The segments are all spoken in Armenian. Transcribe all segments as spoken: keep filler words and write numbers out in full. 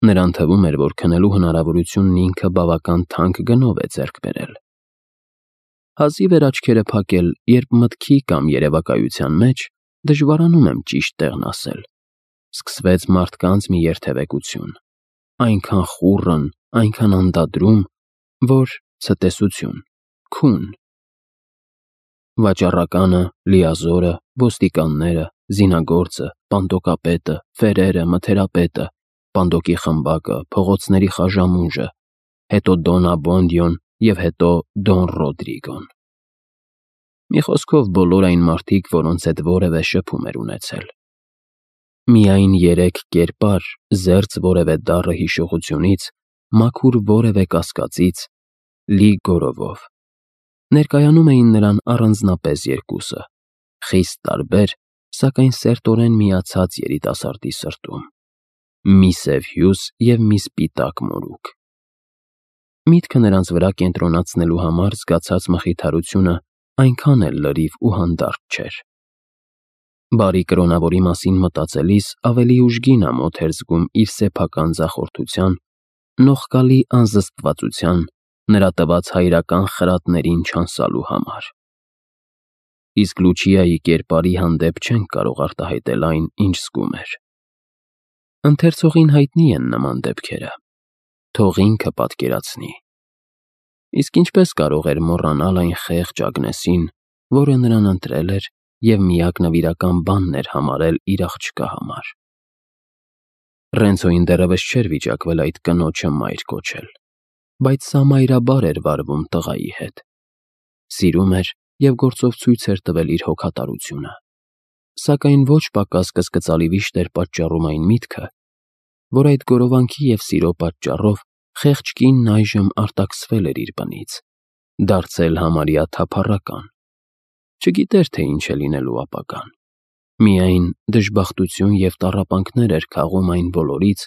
Նրան թվում էր, որ քնելու հնարավորությունն ինքը բավական թանկ գնով է ձեռք բերել։ Հազիվ էր աչքերը փակել, երբ մտքի կամ երևակայության մեջ, դժվարանում եմ ճիշտ տեղն ասել, սկսվեց մարդկանց մի երթևեկություն, այնքան խուռն, այնքան անդադրում, որ ցտեսություն, քուն։ Վաճառականը, լիազորը, ոստիկանները, զինագործը, պանդոկապետը, ֆերերը, մթերապետը, պանդոկի խմբակը, փողոցների խաժամուժը, հետո Դոն Աբոնդիոն և հետո Դոն Ռոդրիգոն։ Մի խոսքով բոլոր այն մարդիկ, որոնց հետ որևէ շփում էր ունեցել։ Միայն երեք կերպար, զերծ որևէ դառը հիշողությունից, մաքուր որևէ կասկածից, լի գորովով։ Ներկայանում էին նրան առանձնապես երկուսը, խիստ տարբեր, սակայն սերտորեն միացած երիտասարդի սրտում՝ մի սև հյուս և մի սպիտակ մորուք։ Միտքը նրանց վրա կենտրոնացնելու համար զգացած մխիթարությունը այնքան էլ լրիվ ու հանդարտ չէր։ Բարի կրոնավորի մասին մտածելիս ավելի ուժգին ամոթ էր զգում իր սեփական ձախորդության, նողկալի անզսպվածության, նրա տված հայրական խրատներին չանսալու համար։ Իսկ Լուչիայի կերպարի հանդեպ չենք կարող արտահայտել այն, ինչ զգում էր։ Ընթերցողին հայտնի են նման դեպքերը, թող ինքը պատկերացնի։ Իսկ ինչպես կարող էր մոռանալ այն խեղճ Ագնեսին, որը նրան ընտրել էր և միակ նվիրական բանն էր համարել իր աղջկա համար։ Ռենցոյին դեռևս չէր վիճակվել այդ կնոջը մայր կոչել, բայց սա մայրաբար էր վարվում տղայի հետ։ Սիրում էր և գործով ցույց էր տվել իր հոգատարությունը, սակայն ոչ պակաս կասկածալի վիշտ էր պատճառում այն միտքը, որ այդ գորովանքի և սիրո պատճառով խեղճ կինն այժմ արտաքսվել էր իր բնից, դարձել համարյա թափառական։ Չգիտեր, թե ինչ է լինելու ապագան, միայն դժբախտություն և տառապանքներ էր քաղում այն բոլորից,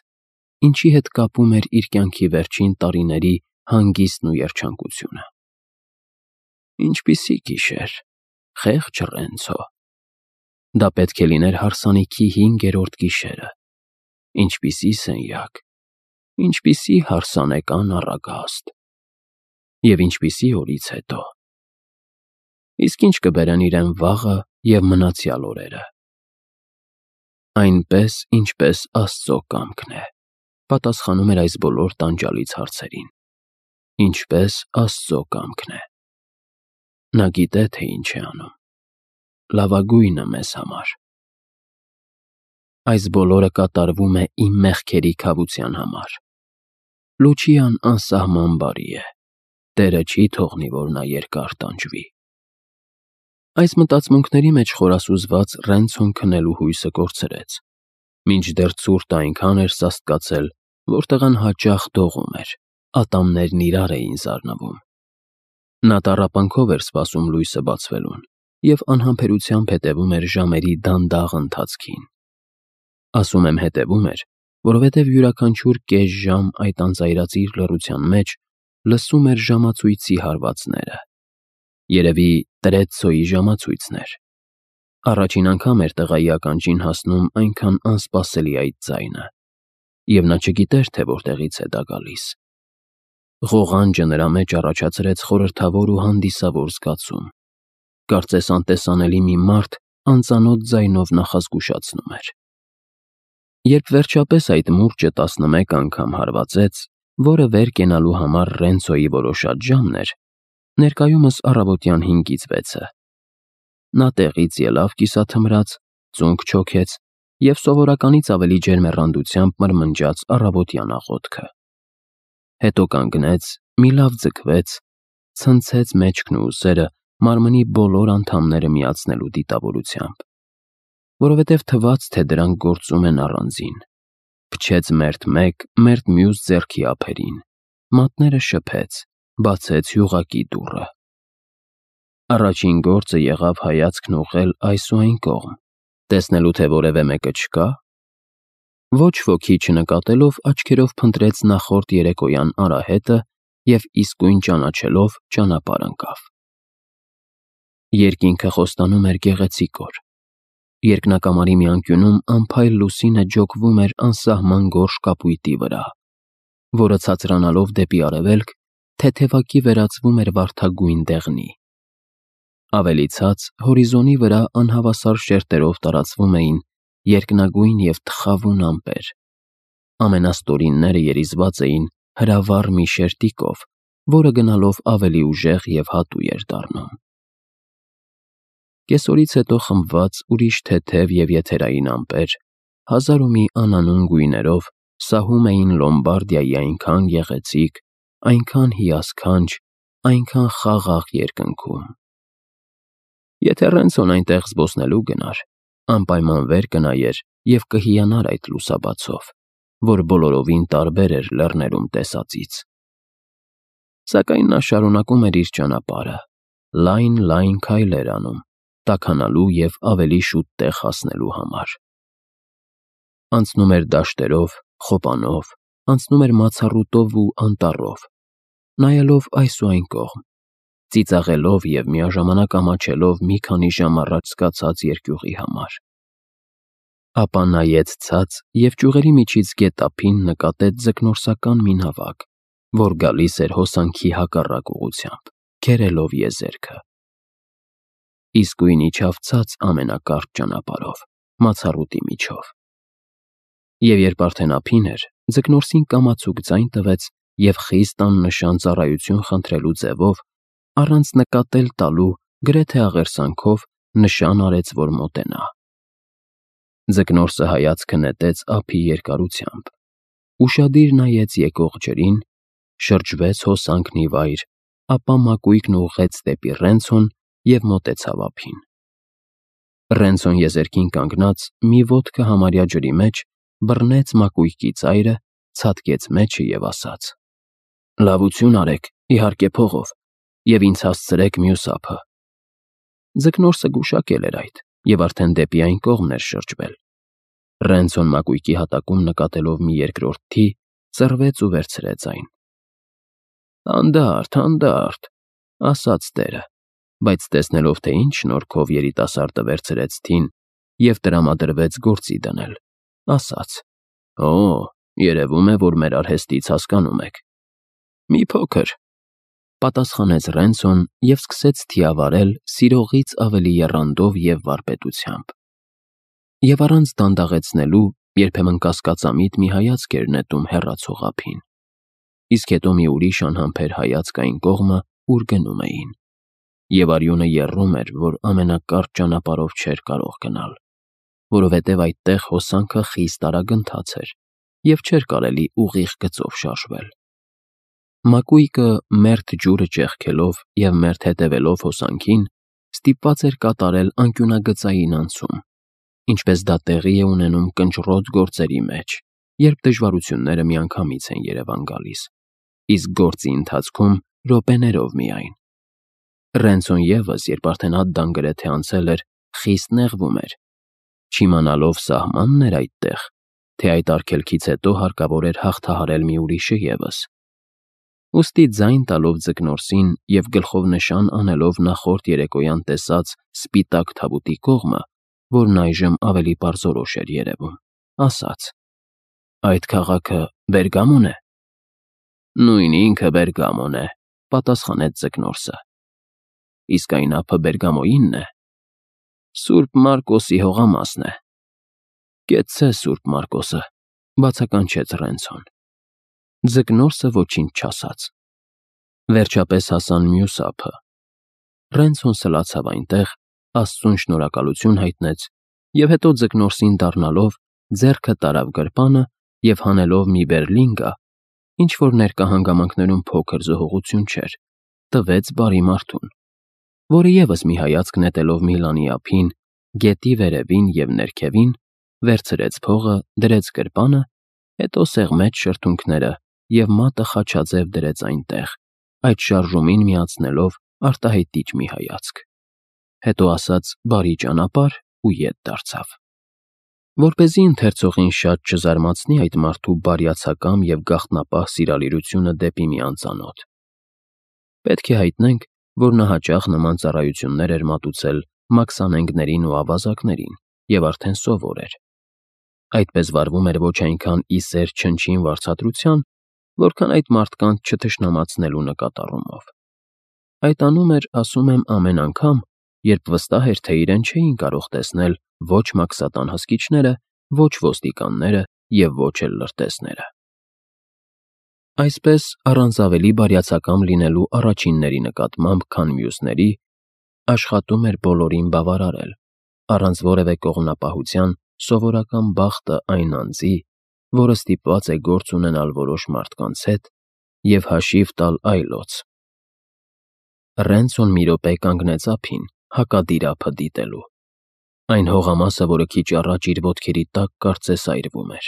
ինչի հետ կապում էր իր կյանքի վերջին տարիների հանգիստն ու երջանկությունը։ Ինչպիսի գիշեր, խեղճ Ռենցո։ Դա պետք է լիներ հարսանիքի հինգերորդ գիշերը, ինչպիսի սենյակ, ինչպիսի հարսանեկան առագաստ, և ինչպիսի օրից հետո։ Իսկ ինչ կբերեն իրեն վաղը և մնացյալ օրերը։ Այնպես, ինչպես Աստծո կամքն է, պատասխանում էր այս բոլոր տանջալից հարցերին։ Ինչպես Աստծո կամքն է։ Նա գիտե, թե ինչ է անում, լավագույնը մեզ համար։ Այս բոլորը կատարվում է իմ մեղքերի քավության համար։ Լուչիան անսահման բարի է, Տերը չի թողնի, որ նա երկար տանջվի։ Այս մտածմունքների մեջ խորասուզված Ռենցոն քնելու հույսը կորցրեց, մինչդեռ ցուրտը այնքան էր սաստկացել, որ տղան հաճախ դողում էր, ատամներն իրար էին զարնվում։ Նա տառապանքով էր սպասում լույսը բացվելուն և անհամբերությամբ հետևում էր ժամերի դանդաղ ընթացքին։ Ասում եմ հետևում էր, որովհետև յուրաքանչյուր կես ժամ այդ անծայրածիր լռության մեջ լսում էր ժամացույցի հարվածները։ Երևի Տրեցցոյի ժամացույցն էր։ Առաջին անգամ էր տղայի ականջին հասնում այնքան անսպասելի այդ ձայնը, և նա չգիտեր, թե որտեղից է դա գալիս։ Ղողանջը նրա մեջ առաջացրեց խորհրդավոր ու հանդիսավոր զգացում, կարծես անտեսանելի մի մարդ անծանոթ ձայնով նախազգուշացնում էր։ Երբ վերջապես այդ մուրճը տասնմեկ անգամ հարվածեց, որը վեր կենալու համար Ռենցոյի որոշած ժամն էր, ներկայումս առավոտյան հինգից վեցը, նա տեղից ելավ կիսաթմրած, ծունկ չոքեց և սովորականից ավելի ջերմեռանդությամբ մրմնջաց առավոտյան աղոթքը։ Հետո կանգնեց, մի լավ ձգվեց, ցնցեց մեջքն ու ուսերը մարմնի բոլոր անդամները միացնելու դիտավորությամբ, որովհետև թվաց, թե դրանք գործում են առանձին, փչեց մերթ մեկ, մերթ մյուս ձեռքի ափերին, մատները շփեց, բացեց յուղակի դուռը։ Առաջին գործը եղավ հայացքն ուղղել այս ու այն կողմ, տեսնելու, թե որևէ մեկը չկա։ Ոչ ոքի չնկատելով աչքերով փնտրեց նախորդ երեկոյան արահետը և իսկույն ճանաչելով ճանապարհ ընկավ։ Երկինքը խոստանում էր գեղեցիկ օր։ Երկնակամարի մի անկյունում անփայլ լուսինը ջոկվում էր անսահման գորշ կապույտի վրա, որը ցածրանալով դեպի արևելք, թեթևակի վերածվում էր վարդագույն դեղնի։ Ավելի ցած, հորիզոնի վրա անհավասար շերտերով տարածվում էին երկնագույն և թխավուն ամպեր։ Ամենաստորինները երիզված էին հրավառ մի շերտիկով, որը գնալով ավելի ուժեղ և հատուй էր դառնում։ Կեսօրից հետո խմբված ուրիշ թեթև և եթերային ամպեր, հազար ու մի անանուն գույներով, սահում էին Լոմբարդիայի այնքան գեղեցիկ, այնքան հիասքանչ, այնքան խաղաղ երկնքում։ Եթե Ռենցոն այնտեղ զբոսնելու գնար, անպայման վեր կնայեր և կհիանար այդ լուսաբացով, որ բոլորովին տարբեր էր լեռներում տեսածից։ Սակայն նա շարունակում էր իր ճանապարհը, լայն-լայն քայլեր անում, տաքանալու և ավելի շուտ տեղ հասնելու համար։ Անցնում էր դաշտերով, խոպանով, անցնում էր մացառուտով ու անտառով, նայելով այս ու այն կողմ, ծիծաղելով և միաժամանակ ամաչելով մի քանի ժամ առաջ սկացած երկյուղի համար։ Ապա նայեց ցած և ճյուղերի միջից գետափին նկատեց ձկնորսական մի նավակ, որ գալիս էր հոսանքի հակառակ ուղղությամբ, քերելով եզերքը։ Իսկույն իջավ ցած ամենակարճ ճանապարհով, մացառուտի միջով։ Եվ երբ արդեն ափին էր, ձկնորսին կամացուկ ձայն տվեց և խիստ աննշան ծառայություն խնդրելու ձևով, առանց նկատել տալու, գրեթե աղերսանքով, նշան արեց, որ մոտենա։ Ձկնորսը հայացքը նետեց ափի երկարությամբ, ուշադիր նայեց եկող ջրին, շրջվեց հոսանքն ի վայր, ապա մակույկն ուղղեց դեպի Ռենցոն և մոտեցավ ափին։ Ռենցոն եզերքին կանգնած, մի ոտքը համարյա ջրի մեջ, բռնեց մակույկի ծայրը, ցատկեց մեջը և ասաց. «Լավություն արեք, իհարկե փողով, և ինձ հասցրեք մյուս ափը»։ Ձկնորսը գուշակել էր այդ և արդեն դեպի այն կողմն էր շրջվել։ Ռենցոն մակույկի հատակում նկատելով մի երկրորդ թի, ծռվեց ու վերցրեց այն։ «Հանդարտ, հանդարտ», ասաց տերը, բայց տեսնելով, թե ինչ շնորհքով երիտասարդը վերցրեց թին և տրամադրվեց գործի դնել, ասաց. «Օ, երևում է, որ մեր արհեստից հասկանում եք»։ «Մի փոքր», պատասխանեց Ռենցոն և սկսեց թիավարել սիրողից ավելի եռանդով և վարպետությամբ։ Եվ առանց դանդաղեցնելու երբեմն կասկածամիտ մի հայացք էր նետում հեռացող ափին, իսկ հետո մի ուրիշ անհամբեր հայացք այն կողմը, ուր գնում էին։ Եվ արյունը եռում էր, որ ամենակարճ ճանապարհով չէր կարող գնալ, որովհետև այդտեղ հոսանքը խիստ արագընթաց էր և չէր կարելի ուղիղ գծով շարժվել։ Մակույկը, մերթ ջուրը ճեղքելով և մերթ հետևելով հոսանքին, ստիպված էր կատարել անկյունագծային անցում, ինչպես դա տեղի է ունենում կնճռոտ գործերի մեջ, երբ դժվարությունները միանգամից են երևան գալիս, իսկ գործի ընթացքում րոպեներով միայն։ Ռենցոն ևս, երբ արդեն Ադդան գրեթե անցել էր, խիստ նեղվում էր, չիմանալով սահմանն էր այդտեղ, թե այդ արգելքից հետո հարկավոր էր հաղթահարել մի ուրիշը ևս։ Ուստի ձայն տալով ձկնորսին և գլխով նշան անելով նախորդ երեկոյան տեսած սպիտակ թավուտի կողմը, որն այժմ ավելի պարզորոշ էր երևում, ասաց. «Այդ քաղաքը Բերգամո՞ն է»։ «Նույն ինքը Բերգամոն է», պատասխանեց ձկնորսը։ «Իսկ այն ափը Բերգամոյինն է»։ «Սուրբ Մարկոսի հողամասն է»։ «Կեցցե Սուրբ Մարկոսը», բացականչեց Ռենցոն։ Ձկնորսը ոչինչ չասաց։ Վերջապես հասան մյուս ափը։ Ռենցոն սլացավ այնտեղ, Աստծուն շնորհակալություն հայտնեց և հետո ձկնորսին դառնալով, ձեռքը տարավ գրպանը և հանելով մի բերլինգա, ինչ-որ ներկա հանգամանքներում փոքր զոհողություն չէր, տվեց բարի մարդուն, որը ևս մի հայացք նետելով Միլանի ափին, գետի վերևին և ներքևին, վերցրեց փողը, դրեց գրպանը, հետո սեղմեց շրթունքները և մատը խաչաձև դրեց այնտեղ, այդ շարժումին միացնելով արտահայտիչ մի հայացք։ Հետո ասաց «Բարի ճանապարհ» ու ետ դարձավ։ Որպեսզի ընթերցողին շատ չզարմացնի այդ մարդու բարյացակամ և գաղտնապահ սիրալիրությունը դեպի մի անծանոթ, պետք է հայտնենք, որ նա հաճախ նման ծառայություններ էր մատուցել մաքսանենգներին ու ավազակներին, և արդեն սովոր էր։ Այդպես վարվում էր ոչ այնքան ի սեր չնչին վարձատրության, որքան այդ մարդկանց չթշնամացնելու նկատառումով։ Այդ անում էր, ասում եմ, ամեն անգամ, երբ վստահ էր, թե իրեն չէին կարող տեսնել ոչ մաքսատան հսկիչները, ոչ ոստիկանները և ոչ էլ լրտեսները։ Այսպես, առանց ավելի բարյացակամ լինելու առաջինների նկատմամբ, քան մյուսների, աշխատում էր բոլորին բավարարել, առանց որևէ կողմնապահության սովորական բախտը այն անձի, որը ստիպված է գործ ունենալ որոշ մարդկանց հետ և հաշիվ տալ այլոց։ Ռենցոն մի րոպե կանգնեց ափին, հակադիր ափը դիտելու։ Այն հողամասը, որը քիչ առաջ իր ոտքերի տակ կարծես այրվում էր։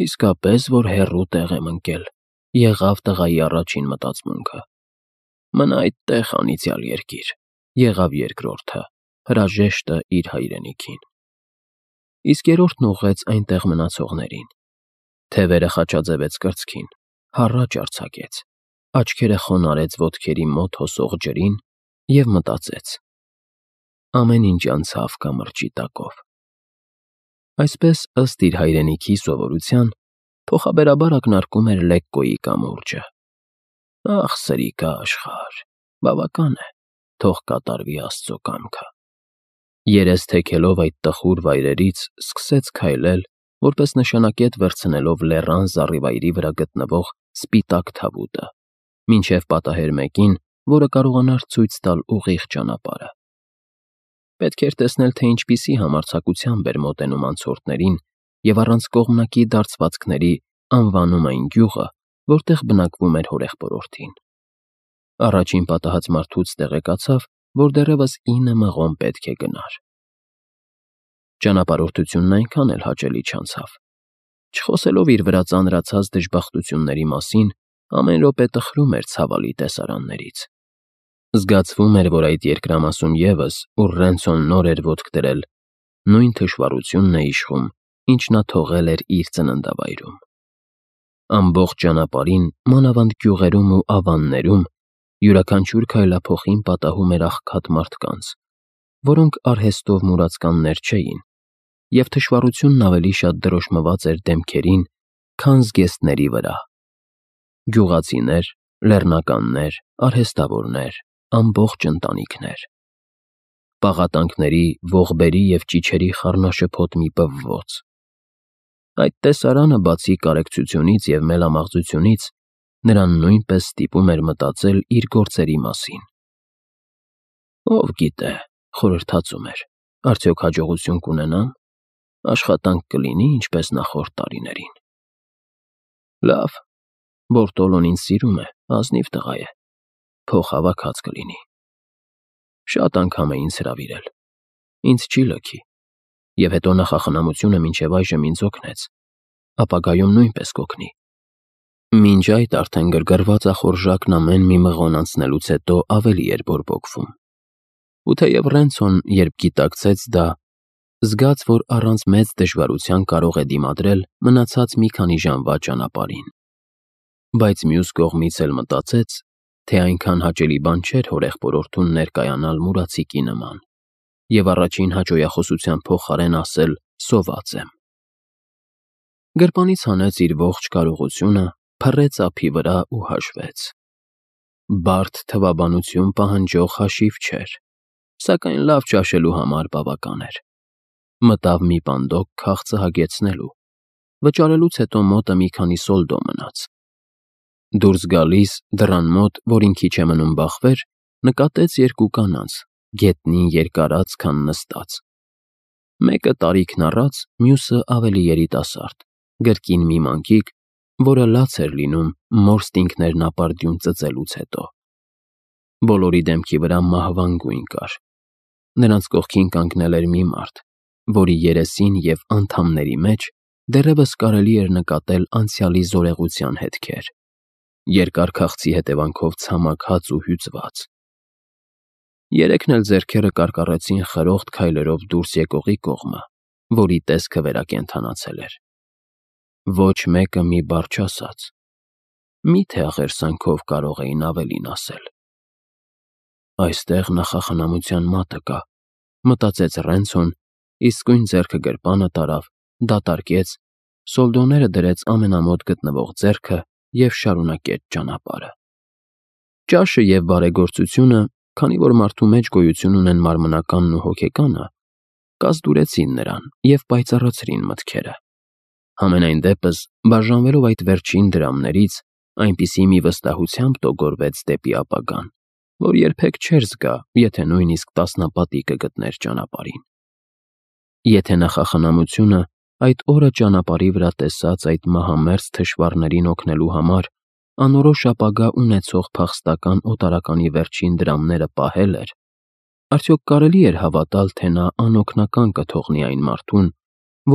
Իսկապես, որ հեռու տեղ եմ ընկել, եղավ տղայի առաջին մտածմունքը։ Մնա այդտեղ, անիծյալ երկիր, եղավ երկրորդը, հրաժեշտը իր հայրենիքին։ Իսկ երրորդն ուղղեց այնտեղ մնացողներին։ Թևերը խաչաձևեց կրծքին, հառաչ արձակեց, աչքերը խոնարհեց ոտքերի մոտ հոսող ջրին և մտածեց. ամեն ինչ անցավ կամրջի տակով։ Այսպես, ըստ իր հայրենիքի սովորության, փոխաբերաբար ակնարկում էր Լեկկոյի կամուրջը։ Ախ, սրիկա աշխարհ, բավական է, թող կատարվի Աստծո կամքը։ Երես թեքելով այդ տխուր վայրերից, սկսեց քայլել, որպես նշանակետ վերցնելով լեռան զառիվայրի վրա գտնվող սպիտակ թավուտը, մինչև պատահեր մեկին, որը կարողանար ցույց տալ ուղիղ ճանապարհը։ Պետք էր տեսնել, թե ինչպիսի համարձակությամբ էր մոտենում անցորդներին և առանց կողմնակի դարձվածքների անվանում այն գյուղը, որտեղ բնակվում էր հորեղբորորդին։ Առաջին պատահած մարդուց տեղեկացավ, որ դեռևս ինը մղոն պետք է գնար։ Ճանապարհորդությունն այնքան էլ հաճելի չանցավ։ Չխոսելով իր վրա ծանրացած դժբախտությունների մասին, ամեն րոպե տխրում էր ցավալի տեսարաններից։ Զգացվում էր, որ այդ երկրամասում ևս, ուր Ռենցոն նոր էր ոտք դրել, նույն թշվառությունն է իշխում, ինչ նա թողել էր իր ծննդավայրում։ Ամբողջ ճանապարհին, մանավանդ գյուղերում ու ավաններում, յուրաքանչյուր քայլափոխին պատահում էր աղքատ մարդկանց, որոնք արհեստով մուրացկաններ չէին, և թշվառությունն ավելի շատ դրոշմված էր դեմքերին, քան զգեստների վրա։ Գյուղացիներ, լեռնականներ, արհեստավորներ, ամբողջ ընտանիքներ։ Պաղատանքների, ողբերի և ճիչերի խառնաշփոթ մի պվվոց։ Այդ տեսարանը, բացի կարեկցությունից և մելամաղձությունից, նրան նույնպես ստիպում էր մտածել իր գործերի մասին։ Ով գիտե, խորհրդածում էր, արդյոք հաջողություն կունենամ, աշխատանք կլինի ինչպես նախորդ տարիներին։ Լավ, Բորտոլոն ինձ սիրում է, ազնիվ տղա է, փող հավաքած կլինի։ Շատ անգամ է ինձ հրավիրել, ինձ չի լքի, և հետո նախախնամությունը մինչև այժմ ինձ օգնեց, ապագայում նույնպես կօգնի։ Մինչ այդ արդեն գրգռված ախորժակն ամեն մի մղոն անցնելուց հետո ավելի էր բորբոքվում։ Ու թեև Ռենցոն, երբ գիտակցեց դա, զգաց, որ առանց մեծ դժվարության կարող է դիմադրել մնացած մի քանի ժամվա ճանապարհին։ Բայց մյուս կողմից էլ մտածեց, թե այնքան հաճելի բան չէր հորեղբորորդուն ներկայանալ մուրացիկի նման և առաջին հաճոյախոսության փոխարեն ասել «սոված եմ»։ Գրպանից հանեց իր ողջ կարողությունը, փռեց ափի վրա ու հաշվեց։ Բարդ թվաբանություն պահանջող հաշիվ չէր, սակայն լավ ճաշելու համար բավական էր։ Մտավ մի պանդոկ քաղցը հագեցնելու, վճարելուց հետո մոտը մի քանի սոլդո մնաց։ Դուրս գալիս, դռան մոտ, որին քիչ է մնում բախվեր, նկատեց երկու կանանց, գետնին երկարած, քան նստած։ Մեկը տարիքն առած, մյուսը ավելի երիտասարդ, կրկին մի մանկիկ, որը լաց էր լինում մորստինգներն ապարդյուն ծծելուց հետո։ Բոլորի դեմքի վրա մահվան գույն կար։ Նրանց կողքին կանգնել էր մի մարդ, որի երեսին և անդամների մեջ դեռևս կարելի էր նկատել անցյալի զորեղության հետքեր, երկար քաղցի հետևանքով ցամաքած ու հյուծված։ Երեքն էլ ձեռքերը կարկառեցին խրոխտ քայլերով դուրս եկողի կողմը, որի տեսքը վերակենդանացել էր։ Ոչ մեկը մի բառ չասաց։ Մի՞թե աղերսանքով կարող էին ավելին ասել։ Այստեղ նախախնամության մատը կա, մտածեց Ռենցոն իսկույն ձեռքը գրպանը տարավ, դատարկեց, սոլդոները դրեց ամենամոտ գտնվող ձեռքը և շարունակեց ճանապարհը։ Ճաշը և բարեգործությունը, քանի որ մարդու մեջ գոյություն ունեն մարմնականն ու հոգեկանը, կազդուրեցին նրան և պայծառացրին մտքերը։ Համենայն դեպս, բաժանվելով այդ վերջին դրամներից, այնպիսի մի վստահությամբ տոգորվեց դեպի ապագան, որ երբեք չէր զգա, եթե նույնիսկ տասնապատի կգտներ ճանապարհին։ Եթե նախախնամությունը այդ օրը ճանապարհի վրա տեսած այդ մահամերձ թշվառներին օգնելու համար անորոշ ապագա ունեցող փախստական օտարականի վերջին դրամները պահել էր, արդյոք կարելի էր հավատալ, թե նա անօգնական կթողնի այն մարդուն,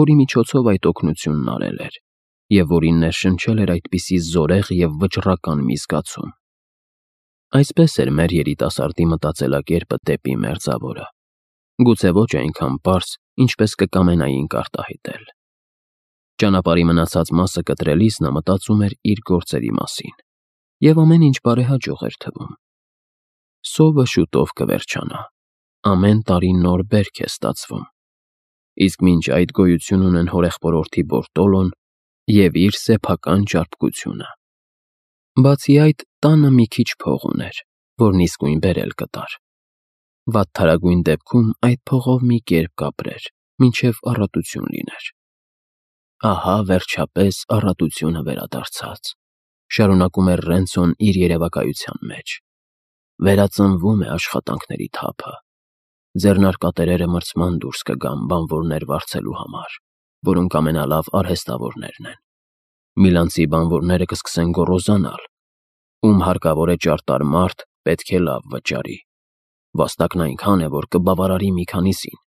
որի միջոցով այդ օգնությունն արել էր, և որին ներշնչել էր այդպիսի զորեղ և վճռական մի զգացում։ Այսպես էր մեր երիտասարդի մտածելակերպը դեպի մերձավորը, գուցե ոչ այնքան պարզ, ինչպես կկամենայինք արտահայտել։ Ճանապարհի մնացած մասը կտրելիս նա մտածում էր իր գործերի մասին, և ամեն ինչ բարեհաջող էր թվում։ Սովը շուտով կվերջանա, ամեն տարի նոր բերք է ստացվում, իսկ մինչ այդ գոյություն ունեն հորեղբորորդի Բորտոլոն և իր սեփական ճարպկությունը։ Բացի այդ, տանը մի քիչ փող ուներ, որն իսկույն բերել կտար։ Վատթարագույն դեպքում այդ փողով մի կերպ կապրեր, մինչև առատություն լիներ։ Ահա, վերջապես, առատությունը վերադարձած, շարունակում էր Ռենցոն իր երևակայության մեջ։ Վերածնվում է աշխատանքների թափը։ Ձեռնարկատերերը մրցման դուրս կգան բանվորներ վարձելու համար, որոնք ամենալավ արհեստավորներն են։ Միլանցի բանվորները կսկսեն գոռոզանալ. ում հարկավոր է ճարտար մարդ, պետք է լավ վճարի։ Վաստակն այնքան է, որ կբավարարի մի քանիսին։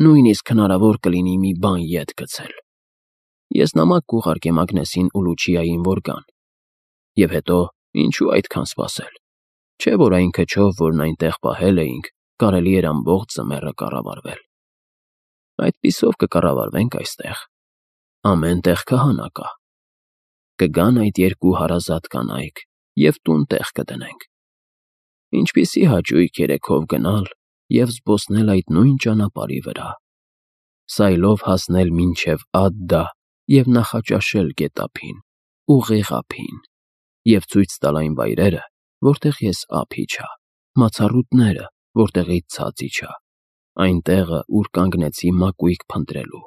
Նույնիսկ հնարավոր կլինի մի բան ետ գցել։ Ես նամակ կուղարկեմ Ագնեսին ու Լուչիային, որ գան։ Եվ հետո, ինչու այդքան սպասել։ Չէ՞ որ այն քչով, որն այնտեղ պահել էինք, կարելի էր ամբողջ ձմեռը կառավարվել։ Այդպիսով կկառավարվենք այստեղ։ Ամեն տեղ քահանա կա։ Կգան այդ երկու հարազատ կանայք և տուն տեղ կդնենք։ Ինչպիսի հաճույք երեքով գնալ և զբոսնել այդ նույն ճանապարհի վրա, սայլով հասնել մինչև Ադդա և նախաճաշել գետափին, ուղիղ ափին, և ցույց տալ այն վայրերը, որտեղ ես ափ իջա, մացառուտները, որտեղից ցած իջա, այն տեղը, ուր կանգնեցի մակույկ փնտրելու։